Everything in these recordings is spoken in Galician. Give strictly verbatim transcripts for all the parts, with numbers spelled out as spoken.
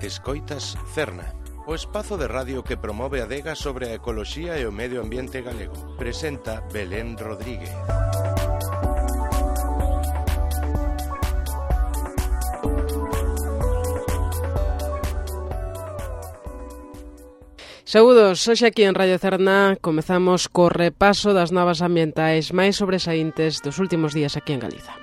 Escoitas Cerna, o espazo de radio que promove a adega sobre a ecoloxía e o medio ambiente galego. Presenta Belén Rodríguez. Saúdos, hoxe aquí en Radio Cerna comezamos co repaso das novas ambientais máis sobresaíntes dos últimos días aquí en Galiza.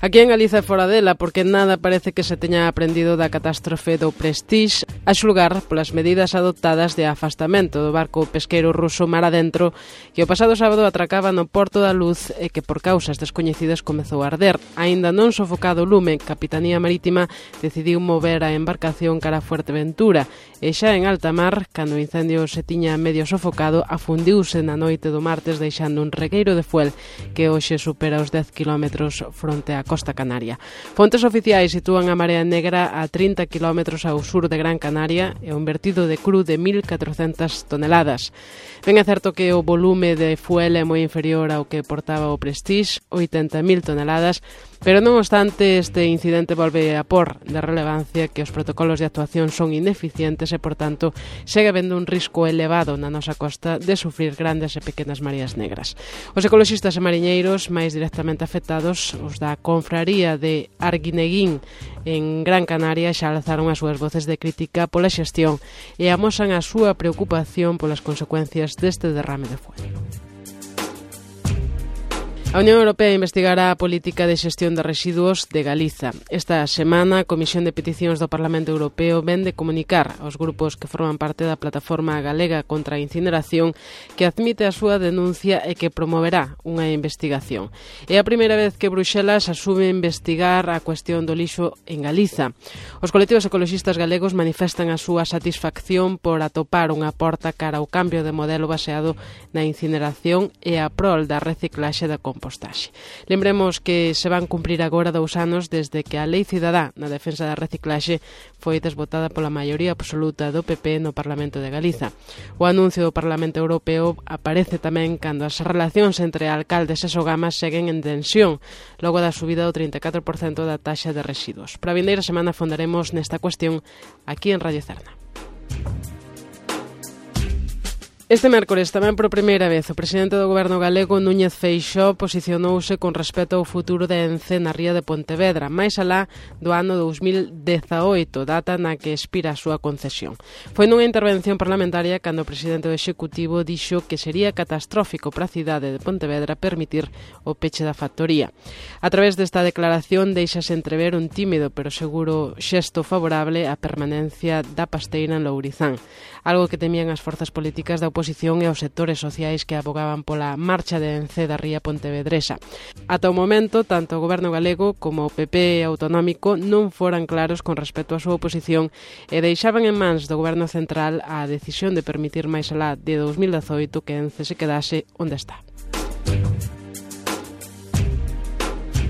Aquí en Galiza e fora dela, porque nada parece que se teña aprendido da catástrofe do Prestige, a xulgar polas medidas adoptadas de afastamento do barco pesqueiro ruso mar adentro que o pasado sábado atracaba no Porto da Luz e que por causas descoñecidas comezou a arder. Aínda non sofocado o lume, Capitanía Marítima decidiu mover a embarcación cara a Fuerteventura e xa en alta mar, cando o incendio se tiña medio sofocado, afundiuse na noite do martes deixando un regueiro de fuel que hoxe supera os dez kilómetros fronte á Costa Canaria. Fontes oficiais sitúan a Marea Negra a trinta kilómetros ao sur de Gran Canaria e un vertido de cru de mil catrocentas toneladas. Ben é certo que o volume de fuel é moi inferior ao que portaba o Prestige, oitenta mil toneladas, pero non obstante este incidente volve a por de relevancia que os protocolos de actuación son ineficientes e, por tanto, segue habendo un risco elevado na nosa costa de sufrir grandes e pequenas mareas negras. Os ecoloxistas e mariñeiros máis directamente afectados, os da Confraría de Arguineguín en Gran Canaria, xa alzaron as súas voces de crítica pola xestión e amosan a súa preocupación polas consecuencias deste derrame de fuel. A Unión Europea investigará a política de xestión de residuos de Galiza. Esta semana, a Comisión de Peticións do Parlamento Europeo ven de comunicar aos grupos que forman parte da Plataforma Galega contra a Incineración que admite a súa denuncia e que promoverá unha investigación. É a primeira vez que Bruxelas asume investigar a cuestión do lixo en Galiza. Os colectivos ecoloxistas galegos manifestan a súa satisfacción por atopar unha porta cara ao cambio de modelo baseado na incineración e a prol da reciclaxe da compostaxe. Postaxe. Lembremos que se van cumprir agora dous anos desde que a Lei Cidadá na defensa da reciclaxe foi desbotada pola maioría absoluta do P P no Parlamento de Galiza. O anuncio do Parlamento Europeo aparece tamén cando as relacións entre alcaldes e Sogamas seguen en tensión, logo da subida do trinta e catro por cento da taxa de residuos. Para a vindeira semana fondaremos nesta cuestión aquí en Radio Cerna. Este mércores, tamén por primeira vez, o presidente do Goberno galego, Núñez Feixóo, posicionouse con respecto ao futuro de Ence na ría de Pontevedra, máis alá do ano dous mil dezaoito, data na que expira a súa concesión. Foi nunha intervención parlamentaria cando o presidente do Executivo dixo que sería catastrófico para a cidade de Pontevedra permitir o peche da factoría. A través desta declaración deixase entrever un tímido pero seguro xesto favorable á permanencia da pasteira en Lourizán, algo que temían as forzas políticas da oposición e os sectores sociais que abogaban pola marcha de Ence da ría pontevedresa. Ata o momento, tanto o Goberno galego como o P P autonómico non foran claros con respecto á súa oposición e deixaban en mans do Goberno central a decisión de permitir máis alá de dous mil dezaoito que Ence se quedase onde está.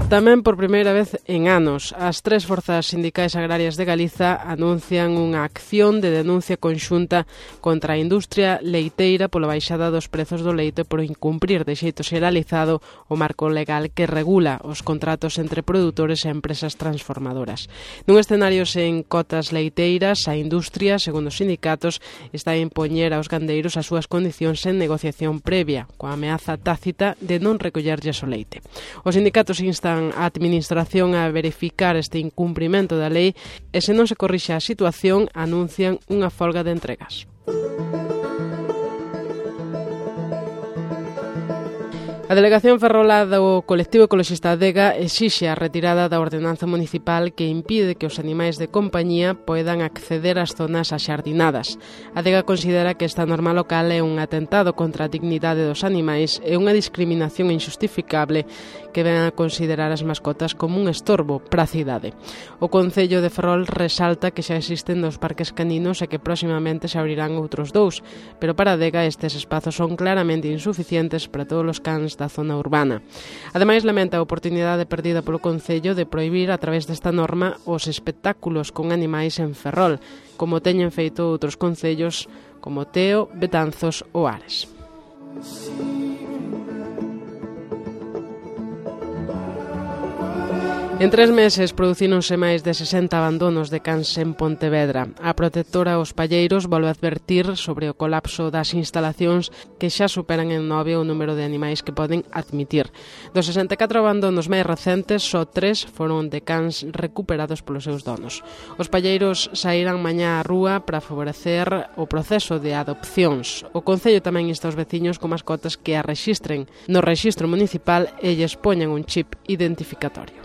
Tamén por primeira vez en anos, as tres forzas sindicais agrarias de Galiza anuncian unha acción de denuncia conxunta contra a industria leiteira pola baixada dos prezos do leite por incumprir de xeito xeralizado o marco legal que regula os contratos entre produtores e empresas transformadoras. Nun escenario sen cotas leiteiras, a industria, segundo os sindicatos, está a impoñer aos gandeiros as súas condicións en negociación previa, coa ameaza tácita de non recollerlles o leite. Os sindicatos instan a Administración a verificar este incumprimento da lei e se non se corrixe a situación anuncian unha folga de entregas. A Delegación Ferrolá do colectivo ecoloxista Adega exixe a retirada da ordenanza municipal que impide que os animais de compañía poidan acceder ás zonas axardinadas. Adega considera que esta norma local é un atentado contra a dignidade dos animais e unha discriminación injustificable que ven a considerar as mascotas como un estorbo para a cidade. O Concello de Ferrol resalta que xa existen dos parques caninos e que próximamente se abrirán outros dous, pero para Adega estes espazos son claramente insuficientes para todos os cans da zona urbana. Ademais, lamenta a oportunidade perdida polo Concello de prohibir a través desta norma os espectáculos con animais en Ferrol, como teñen feito outros concellos como Teo, Betanzos ou Ares. En tres meses producíronse máis de sesenta abandonos de cans en Pontevedra. A protectora Os Palleiros volve a advertir sobre o colapso das instalacións que xa superan en nove o número de animais que poden admitir. Dos sesenta e catro abandonos máis recentes, só tres foron de cans recuperados polos seus donos. Os Palleiros sairán mañá á rúa para favorecer o proceso de adopcións. O Concello tamén insta aos veciños con mascotas que a rexistren no rexistro municipal e lles poñan un chip identificatorio.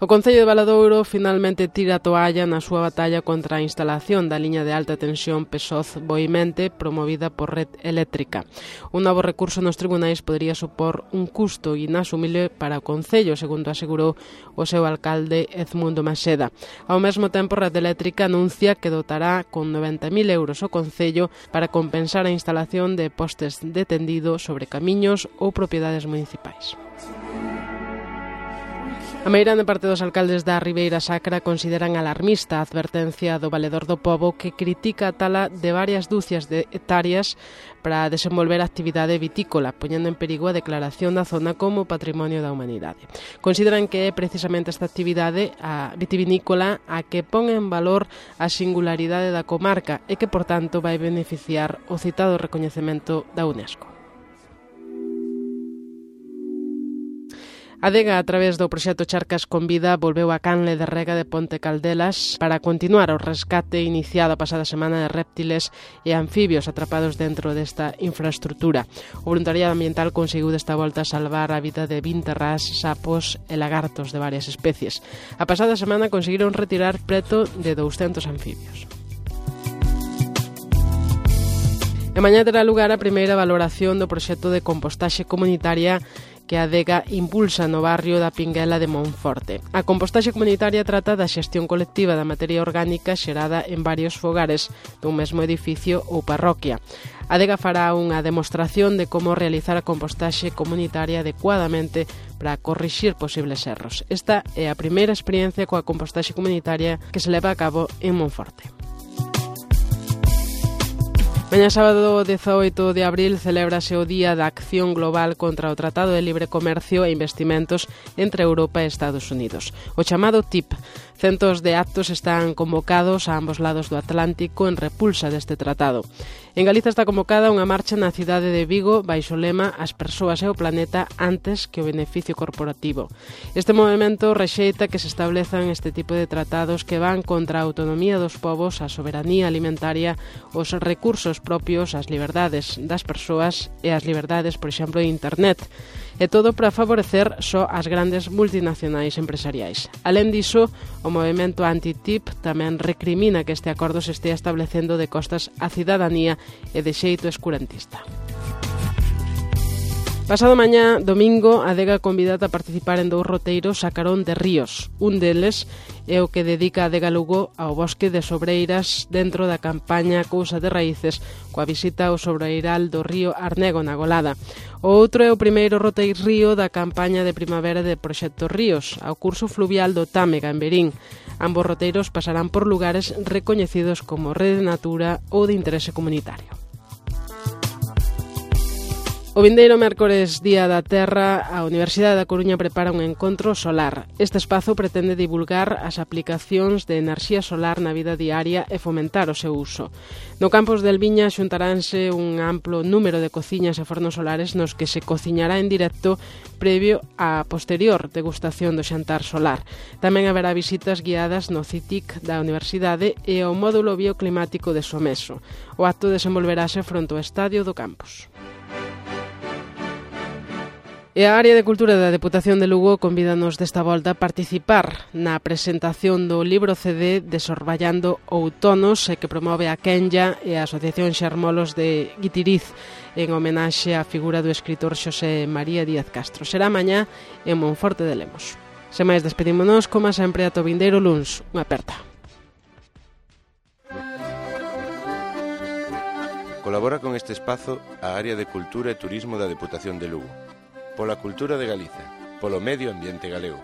O Concello de Valadouro finalmente tira a toalla na súa batalla contra a instalación da liña de alta tensión Pesoz-Boimente promovida por Red Eléctrica. Un novo recurso nos tribunais podería supor un custo inasumible para o Concello, segundo asegurou o seu alcalde Edmundo Maseda. Ao mesmo tempo, Red Eléctrica anuncia que dotará con noventa mil euros o Concello para compensar a instalación de postes de tendido sobre camiños ou propiedades municipais. A meirande parte dos alcaldes da Ribeira Sacra consideran alarmista a advertencia do Valedor do Pobo que critica a tala de varias dúcias de hectáreas para desenvolver actividade vitícola, poñendo en perigo a declaración da zona como Patrimonio da Humanidade. Consideran que é precisamente esta actividade a vitivinícola a que pon en valor a singularidade da comarca e que, por tanto, vai beneficiar o citado recoñecemento da UNESCO. A Adega, a través do proxecto Charcas con Vida, volveu á canle de rega de Ponte Caldelas para continuar o rescate iniciado a pasada semana de réptiles e anfibios atrapados dentro desta infraestrutura. O voluntariado ambiental conseguiu desta volta salvar a vida de vinte rás, sapos e lagartos de varias especies. A pasada semana conseguiron retirar preto de douscentos anfibios. E mañá terá lugar a primeira valoración do proxecto de compostaxe comunitaria que a Adega impulsa no barrio da Pinguela de Monforte. A compostaxe comunitaria trata da xestión colectiva da materia orgánica xerada en varios fogares dun mesmo edificio ou parroquia. A Adega fará unha demostración de como realizar a compostaxe comunitaria adecuadamente para corrixir posibles erros. Esta é a primeira experiencia coa compostaxe comunitaria que se leva a cabo en Monforte. Mañá sábado dezaoito de abril celébrase o Día da Acción Global contra o Tratado de Libre Comercio e Investimentos entre Europa e Estados Unidos, o chamado T I P. Centos de actos están convocados a ambos lados do Atlántico en repulsa deste tratado. En Galiza está convocada unha marcha na cidade de Vigo baixo o lema As persoas e o planeta antes que o beneficio corporativo. Este movimento rexeita que se establezan este tipo de tratados que van contra a autonomía dos povos, a soberanía alimentaria, os recursos propios, as liberdades das persoas e as liberdades, por exemplo, de Internet. E todo para favorecer só as grandes multinacionais empresariais. Alén diso, o movimento anti-T I P tamén recrimina que este acordo se estea establecendo de costas á cidadanía e de xeito escurantista. Pasado mañá, domingo, a Adega convidada a participar en dous roteiros a carón de ríos. Un deles é o que dedica a Adega Lugo ao bosque de sobreiras dentro da campaña Cousa de Raíces, coa visita ao sobreiral do río Arnego na Golada. O outro é o primeiro roteirrío da campaña de primavera de Proxecto Ríos, ao curso fluvial do Támega en Verín. Ambos roteiros pasarán por lugares recoñecidos como Rede Natura ou de interese comunitario. O vindeiro mércores, Día da Terra, a Universidade da Coruña prepara un encontro solar. Este espazo pretende divulgar as aplicacións de enerxía solar na vida diaria e fomentar o seu uso. No campus de Elviña xuntaránse un amplo número de cociñas e fornos solares nos que se cociñará en directo previo á posterior degustación do xantar solar. Tamén haberá visitas guiadas no C I T I C da Universidade e ao módulo bioclimático de Someso. O acto desenvolverase fronte ao estadio do campus. E a Área de Cultura da Deputación de Lugo convídanos desta volta a participar na presentación do libro C D Desorballando Outonos, que promove a Kenya e a Asociación Xermolos de Guitiriz en homenaxe á figura do escritor Xosé María Díaz Castro. Será mañá en Monforte de Lemos. Sen máis, despedímonos, como sempre, ata o vindeiro luns. Unha aperta. Colabora con este espazo a Área de Cultura e Turismo da Deputación de Lugo. Pola cultura de Galiza, polo medio ambiente galego.